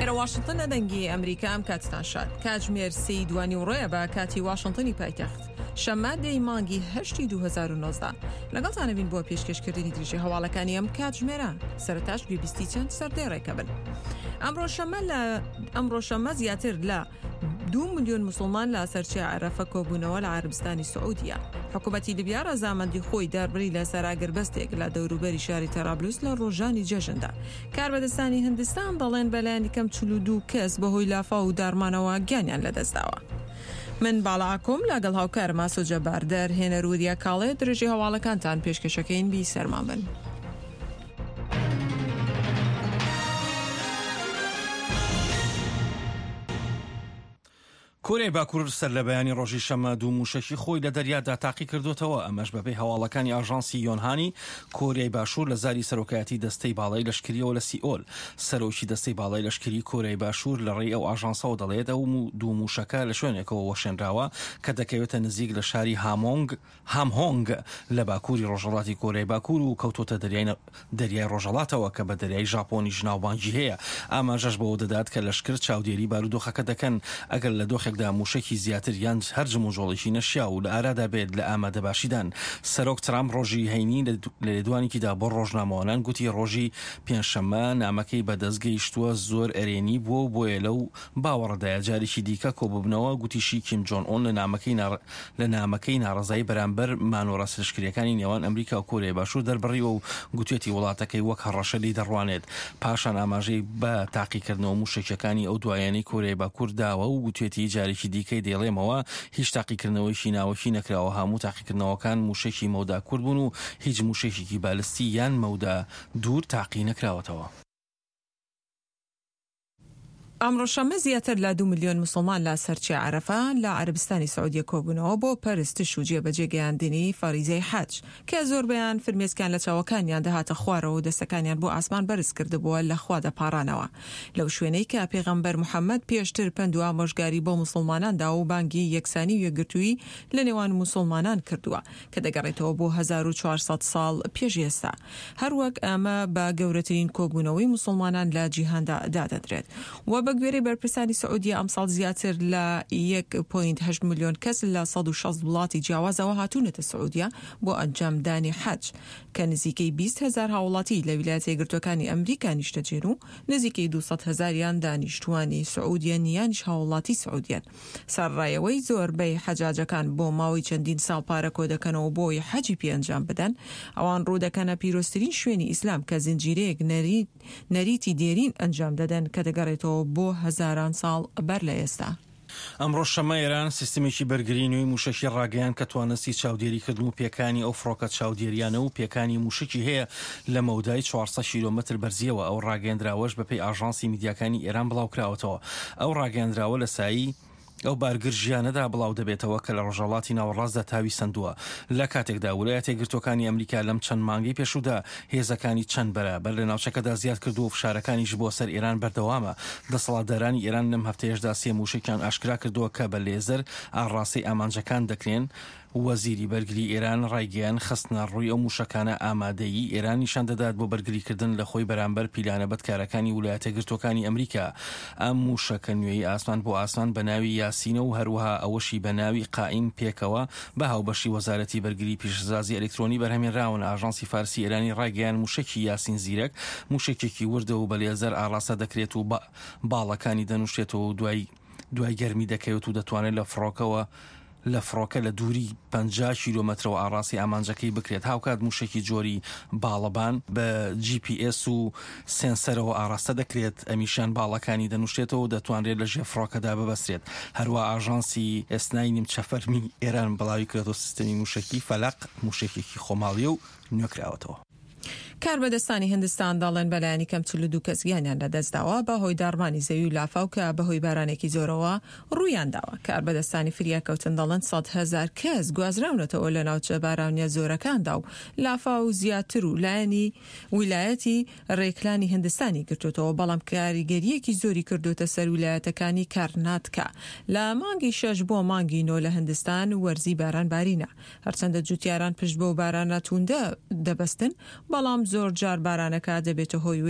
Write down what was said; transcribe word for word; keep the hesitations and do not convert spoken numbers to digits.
ئێرە واشنتن دەنگی ئەمریکا، ئەم کاتتان شاد. کاتژمێر سێی دوانی ڕۆیە بە کاتی واشنتنی پایتەخت، شەممە دەی مانگی هەشتی دوو هەزار و نۆزدە. لەگەڵتانە بین بۆ پێشکەشکردنی درێژی هەواڵەکانی ئەم کاتژمێرە. سەرەتاش گوێبیستی چەند سەردێڕێکە بن. ئەمڕۆ شەممە لە ئەمڕۆ شەممە زیاتر لە دوو ملیۆن مسلمان لە سەرچیای عەرەفە کۆبوونەوە لە عەرەبستانی سعودیە. حکوومەتی لیبیا ڕەزامەندی خۆی دەربڕی لەسەر ئاگربەستێک لە دەوروبەری شاری تەرابلوس لە ڕۆژانی جەژندا. کاربەدەستانی هندستان دەڵێن بەلایەنی کەم چل و دوو کەس بەهۆی لافاو و داڕمانەوە گیانیان لەدەستداوە. من باڵا ئاکۆم لەگەڵ هاوکارم ئاسۆ جەبار دەرهێنەر وریا کاڵێ درێژەی هەواڵەکانتان پێشکەشەکەین. بی سەرمان بن. کۆریای باکوور سەر لە بەیانی ڕۆژی شەممە دوو مووشەکی خۆی لە دەریادا تاقی کردوتەوە، ئەمەش بەپێی هەواڵەکانی ئاژانسی یۆنهانی کۆریای باشوور لە زاری سەرۆکایەتی دەستەی باڵای لەشکریەوە لە سیئۆل. سەرۆکی دەستەی باڵای لەشکری کۆریای باشوور لە ڕێی ئەو ئاژانسەوە دەڵێت ئەو دوو مووشەکە لە شوێنێکەوە وەشێنراوە کە دەکەوێتە نزیک لە شاری هامۆنگ هامهۆنگ لە باکووری ڕۆژهەڵاتی کۆریای باکوور و کەوتۆتە دەریای دەریای ڕۆژهەڵاتەوە کە بە دەریای ژاپۆنیش ناوبانگی هەیە. ئاماژەش بەوە دەدات کە لەشکر چاودێری بارودۆخەکە دەکەن ئەگەر لە دۆخێکدا مووشەکی زیاتر یان هەر جموجۆڵێکی نەشیاو لە ئارادا بێت لە ئامادەباشیدان. سەرۆک ترامپ ڕۆژی هەینی لە لێدوانێکیدا بۆ ڕۆژنامەوانان گوتی ڕۆژی پێنجشەممە نامەکەی بەدەست گەیشتووە زۆر ئەرێنی بووە و بۆیە لەو باوەڕەدایە جارێکی دیکە کۆببنەوە. گوتیشی کیم جۆن ئۆن لە نامەکەی لە نامەکەی ناڕەزایی بەرامبەر مانۆڕە لەشکرییەکانی نێوان ئەمریکا و کۆریای باشوور دەربڕیوە و گوتوێتی وڵاتەکەی وەک هەڕەشە لێی دەڕوانێت. پاشان ئاماژەی بە تاقیکردنەوە مووشەکییەکانی ئەو دوایانەی کۆریای باکوور داوە و گوتوێتی جارێکی دیکەی دەیڵێمەوە هیچ تاقیکردنەوەیەکی ناوەکی نەکراوە، هەموو تاقیکردنەوەکان مووشەکی مەودا کورت بوون و هیچ مووشەکێکی بالستی یان مەودا دوور تاقی نەکراوەتەوە. ئەمڕۆ شەممە زیاتر لە دوو ملیۆن موسڵمان لە سەرچیای عەرەفە لە عەرەبستانی سعودیە کۆبوونەوە بۆ پەرستش و جێبەجێ گەیاندنی فەریزەی حەج کە زۆربەیان فرمێسکیان لە چاوەکانیان دەهاتە خوارەوە و دەستەکانیان بۆ ئاسمان بەرز کردبووە لە خوا دەپاڕانەوە لەو شوێنەی کە پێغەمبەر محەمەد پێشتر پەند و ئامۆژگاری بۆ موسڵمانان داوە و بانگی یەکسانی و یەکگرتوویی لە نێوان موسڵمانان کردووە کە دەگەڕێتەوە بۆ هەزار و چوار سەد ساڵ پێش ئێستا هەروەک ئەمە بە گەورەترین کۆبوونەوەی موسڵمانان لە جیهاندا دادەنرێت و بەگوێرەی بەرپرسانی سعودیە ئەمساڵ زیاتر لە یەک پۆینت هەشت ملیۆن کەس لە سەد و شەست وڵاتی جیاوازەوە هاتوونەتە سعودیە بۆ ئەنجامدانی حەج کە نزیکەی بیست هەزار هاوڵاتی لە ویلایەتە یەکگرتووەکانی ئەمریکا نیشتەجێن و نزیکەی دوو سەد هەزاریان دانیشتووانی سعودیەن یانیش هاوڵاتی سعودیەن. سەرەڕای ئەوەی زۆربەی حەجاجەکان بۆ ماوەی چەندین ساڵ پارە کۆدەکەنەوە بۆ ئەوەی حەجی پێ ئەنجام بدەن، ئەوان ڕوودەکەنە پیرۆزترین شوێنی ئیسلام کە زنجیرەیەک نەریتی دێرین ئەنجام دەدەن کە دەگەڕێتەوە بۆ هەزاران ساڵ بەر لە ئێستا. ئەمڕۆ شەممە ئێران سیستمێکی بەرگری نوێی مووشەکی ڕاگەیاند کە توانستی چاودێریکردن و پێکانی ئەو فڕۆکە چاودێریانە و پێکانی مووشەکی هەیە لە مەودای چوار سەد کیلۆمەتر بەرزییەوە. ئەو ڕاگەیەندراوەش بەپێی ئاژانسی میدیاکانی ئێران بڵاوکراوەتەوە. ئەو ڕاگەیەندراوە لە سایەی ئەو بارگرژییانەدا بڵاودەبێتەوە کە لە ڕۆژهەڵاتی ناوەڕاستدا تاوی سەندووە، لە کاتێکدا ولایەتە یەکگرتووەکانی ئەمریکا لەم چەند مانگەی پێشوودا هێزەکانی چەند بەرابەر لە ناوچەکەدا زیاد کردووە و فشارەکانیش بۆ سەر ئێران بەردەوامە. دەسەڵاتدارانی ئێران لەم هەفتەیەشدا سێ مووشەکیان ئاشکرا کردووە کە بە لێزەر ئاڕاستەی ئامانجەکان دەکرێن. وەزیری بەرگری ئێران ڕایگەیاند، خستنەڕووی ئەو مووشەکانە ئامادەیی ئێران نیشان دەدات بۆ بەرگریکردن لە خۆی بەرامبەر پیلانە بەدکارەکانی ولایەتە یەکگرتووەکانی ئەمریکا. ئەم مووشەکە نوێی ئاسمان بۆ ئاسمان بە ناوی یاسینە و هەروەها ئەوەشی بە ناوی قائیم پێکەوە بە هاوبەشی وەزارەتی بەرگری پیشەسازی ئەلکترۆنی بەرهەمهێنراون. ئاژانسی فارسی ئێرانی ڕایگەیاند، مووشەکی یاسین زیرەک مووشەکێکی وردە و بە لێزەر ئاڕاستە دەکرێت و باڵەکانی دەنووشێتەوە و دوای دوای گەرمی دەکەوێت و دەتوانێت لە فڕۆکەوە لە فڕۆکە لە دووری پەنجا کیلۆمەترەوە ئاڕاستەی ئامانجەکەی بکرێت، هاوکات مووشەکی جۆری باڵەبان بە جی پی ئێس و سێنسەرەوە ئاڕاستە دەکرێت، ئەمیشیان باڵەکانی دەنووشێتەوە و دەتوانرێت لە ژێر فڕۆکەدا ببەسترێت. هەروا ئاژانسی ئێسنای نیمچە فەرمی ئێران بڵاویکردەوە سیستەمی مووشەکی فەلەق مووشەکێکی خۆماڵییە و نوێکراوەتەوە. کاربەدەستانی هندستان دەڵێن بەلایەنی کەم چل و دوو کەس گیانیان لەدەستداوە بەهۆی داڕمانی زەوی و لافاو کە بەهۆی بارانێکی زۆرەوە ڕوویانداوە. کاربەدەستانی فریاکەوتن دەڵێن سەد هەزار کەس گوازراونەتەوە لە ناوچە بارانیە زۆرەکاندا و لافاو زیاتر و لایەنی ویلایەتی ڕێکلانی هندستانی گرتووەتەوە بەڵام کاریگەرییەکی زۆری کردووەتە سەر ویلایەتەکانی کارناتکا. لە مانگی شەش بۆ مانگی نۆ لە هندستان وەرزی باران بارینە. هەرچەندە جوتیاران پشت بەو بارانە تووندە دەبەستن، بەڵام زۆرجار بارانەکە دەبێتە هۆی